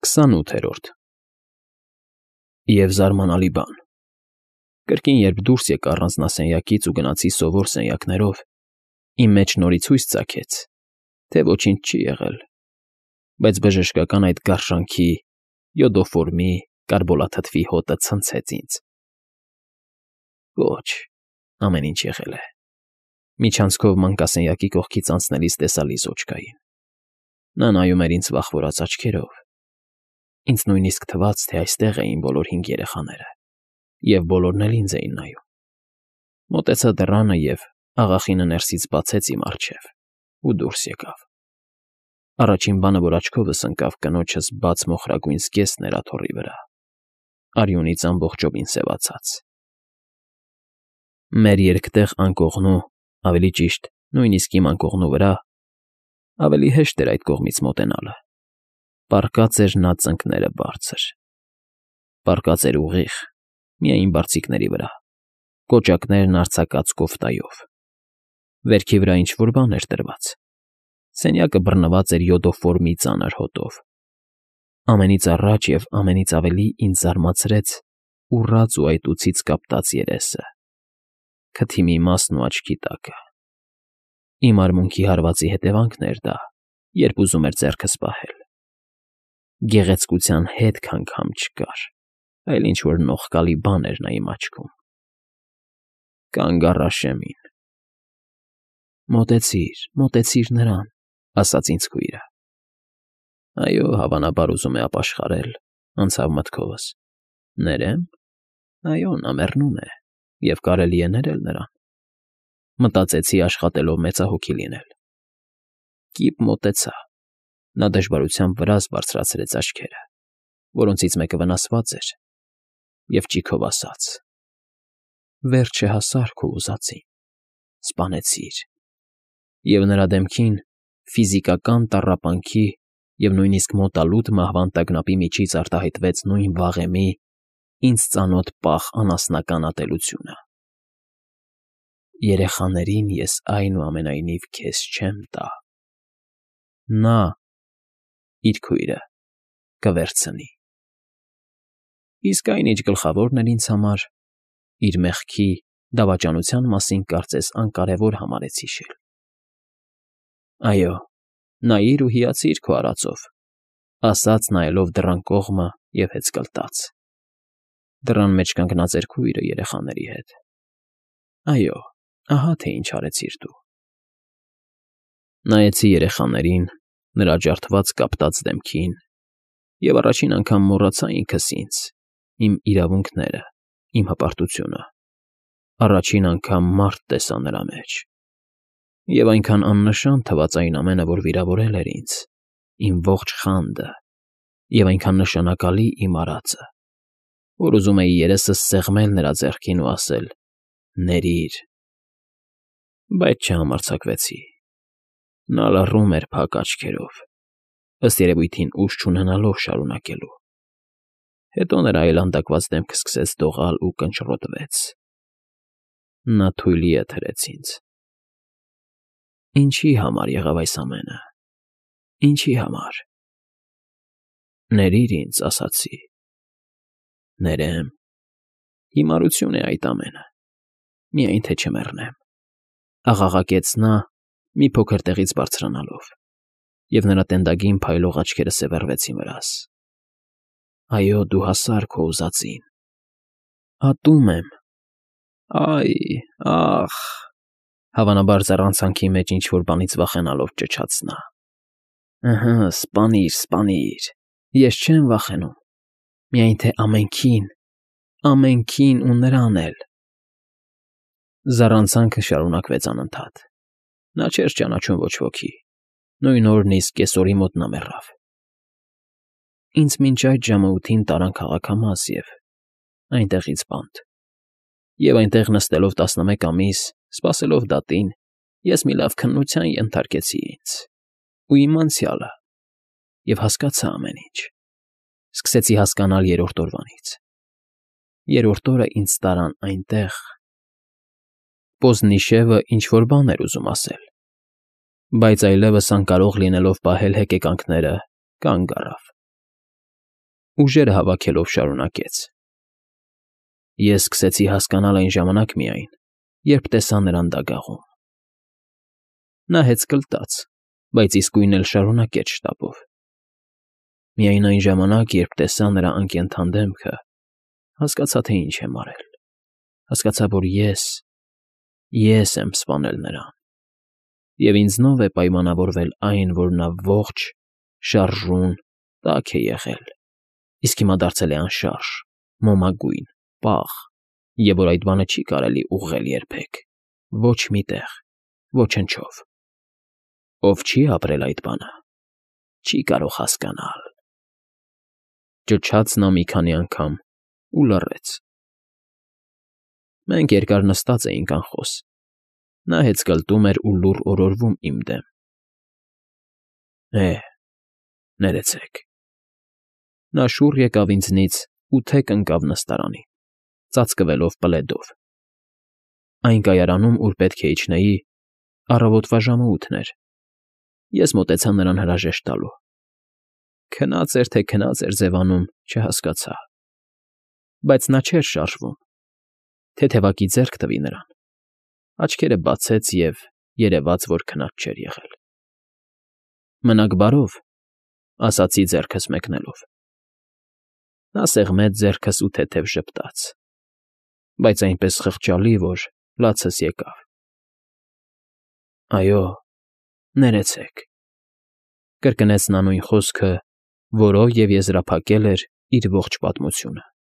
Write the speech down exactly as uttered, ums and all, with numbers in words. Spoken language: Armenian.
Քսանութերորդ Եվ զարմանալի բան. կրկին երբ դուրս եկա առանձնասենյակից ու գնացի սովոր սենյակներով, իմ մեջ նորից հույս ծագեց, թե ոչինչ չի եղել, բայց բժշկական այդ գարշանքի, յոդոֆորմի, կարբոլաթթվի հոտը ցնցեց ինձ. Ոչ, ամեն ինչ եղել է. միջանցքով մանկասենյակի կողքից անցնելիս տեսա Լիզոչկային. նա նայում էր ինձ վախվորած աչքերով. ինձ նույնիսկ թվաց, թե այստեղ էին բոլոր հինգ երեխաները, և բոլորն էլ ինձ էին նայում. մոտեցա դռանը և աղախինը ներսից բացեց իմ առջև ու դուրս եկավ. առաջին բանը, որ աչքովս ընկավ, կնոջս բաց մոխրագույն զգեստն էր աթոռի վրա, արյունից ամբողջովին սևացած. մեր երկտեղ անկողնու, ավելի ճիշտ, նույնիսկ իմ անկողնու վրա (ավելի հեշտ էր այդ կողմից մոտենալը) պառկած էր նա ծնկները բարձր. պառկած էր ուղիղ, միայն բարձիկների վրա, կոճակներն արձակած կոֆտայով. վերքի վրա ինչ֊որ բան էր դրված. սենյակը բռնված էր յոդոֆորմի ծանր հոտով. ամենից առաջ և ամենից ավելի ինձ զարմացրեց ուռած ու այտուցից կապտած երեսը, քթի մի մասն ու աչքի տակը. իմ արմունկի հարվածի հետևանքն էր դա, երբ ուզում էր ձեռքս պահել. գեղեցկության հետք անգամ չկար, այլ ինչ֊որ նողկալի բան էր նա իմ աչքում. «Կանգ առ, Աշեմին»։ «Մոտեցիր, մոտեցիր նրան», ասաց ինձ քույրը։ Այո, հավանաբար ուզում է ապաշխարել, անցավ մտքովս. ներեմ, այո, նա մեռնում է, և կարելի է ներել նրան, մտածեցի աշխատելով մեծահոգի լինել. կիպ մոտեցա, նա դժվարությամբ վրաս բարձրացրեց աչքերը, որոնցից մեկը վնասված էր, և ճիգով ասաց. վերջը հասար քո ուզածին, սպանեցիր, և նրա դեմքին, ֆիզիկական տառապանքի և նույնիսկ մոտալուտ մահվան տագնապի միջից արտահայտվեց նույն վաղեմի, ինձ ծանոթ պաղ անասնական ատելությունը. երեխաներին ես այնուամենայնիվ քեզ չեմ տա, նա (իր քույրը) կվերցնի։ Իսկ այն, ինչ գլխավորն էր ինձ համար, իր մեղքի, դավաճանության մասին կարծես անկարևոր համարեց հիշել։ «Այո, նայիր ու հիացիր քո արածով», ասաց նայելով դռան կողմը և հեծկլտաց. դռան մեջ կանգնած էր քույրը երեխաների հետ։ «Այո, ահա թե ինչ արեցիր դու»։ Նայեցի երեխաներին, նրա ջարդված կապտած դեմքին, և առաջին անգամ մոռացա ինքս ինձ, իմ իրավունքները, իմ հպարտությունը, առաջին անգամ մարդ տեսա նրա մեջ, և այնքան աննշան թվաց այն ամենը, որ վիրավորել էր ինձ, իմ ողջ խանդը, և այնքան նշանակալի իմ արածը, որ ուզում էի երեսս սեղմել նրա ձեռքին ու ասել. «Ներիր»։ Բայց չհամարձակվեցի. նա լռում էր փակ աչքերով, ըստ երևույթին ուժ չունենալով շարունակելու։ Հետո նրա այլանդակված դեմքը սկսեց դողալ ու կնճռոտվեց. նա թույլ ետ հրեց ինձ։ Ինչի համար եղավ այս ամենը, ինչի համար։ «Ներիր ինձ», ասացի։ «Ներեմ»։ Հիմարություն է այդ ամենը, միայն թե չմեռնեմ, աղաղակեց նա, մի փոքր տեղից բարձրանալով, և նրա տենդագին փայլող աչքերը սևեռվեցին վրաս. «Այո, դու հասար քո ուզածին, ատում եմ»։ «Այ, ախ», հավանաբար ձեռանցանքի մեջ ինչ֊որ բանից վախենալով ճչաց նա։ «Ըհը, սպանիր, սպանիր, ես չեմ վախենում, միայն թե ամենքին, ամենքին ու նրան էլ»։ Զառանցանքը շարունակվեց անընդհատ։ Նա չէր ճանաչում ոչ ոքի, նույն օրն իսկ կեսօրի մոտ նա մեռավ։ Ինձ մինչ այդ ժամը ութին տարան քաղաքամաս և այնտեղից բանտ, և այնտեղ նստելով տասնմեկ ամիս, սպասելով դատին, ես մի լավ քննության ենթարկեցի ինձ ու իմ անցյալը և հասկացա ամեն ինչ, սկսեցի հասկանալ երրորդ օրվանից։ Երրորդ օրը ինձ տարան այնտեղ… Պոզնիշևը ինչ֊որ բան էր ուզում ասել, բայց այլևս անկարող լինելով պահել հեկեկանքները, կանգ առավ։ Ուժերը հավաքելով շարունակեց. Ես սկսեցի հասկանալ այն ժամանակ միայն, երբ տեսա նրան դագաղում։ Նա հեծկլտաց, բայց իսկույն էլ շարունակեց շտապով։ Միայն այն ժամանակ, երբ տեսա նրա անկենդան դեմքը, հասկացա, թե ինչ եմ արել, հասկացա, որ ես, ես եմ սպանել նրան, և ինձնով է պայմանավորվել այն, որ նա ողջ, շարժուն, տաք է եղել, իսկ հիմա դարձել է անշարժ, մոմագույն, պաղ, և որ այդ բանը չի կարելի ուղղել երբեք, ոչ մի տեղ, ոչնչով։ Ով չի ապրել այդ բանը, չի կարող հասկանալ։ Ճչաց նա մի քանի անգամ ու լռեց։ Մենք երկար նստած էինք անխոս, նա հեծկլտում էր ու լուռ օրորվում իմ դեմ։ Է՜, ներեցեք։ Նա շուռ եկավ ինձնից ու թեք ընկավ նստարանին, ծածկվելով պլեդով։ Այն կայարանում, ուր պետք է իջնեի, առավոտվա ժամը ութն էր։ Ես մոտեցա նրան հրաժեշտ տալու։ Քնած էր, թե քնած էր ձևանում, չհասկացա։ Բայց նա չէր շարժվում։ Թեթևակի ձեռք տվի նրան, աչքերը բացեց և երևաց, որ քնած չէր եղել։ Մնաք բարով, ասացի ձեռքս մեկնելով։ Նա սեղմեց ձեռքս ու թեթև ժպտաց, բայց այնպես խղճալի, որ լացս եկավ։ Այո, ներեցեք, կրկնեց նա նույն խոսքը, որով և եզրափակել էր իր ողջ պատմությունը։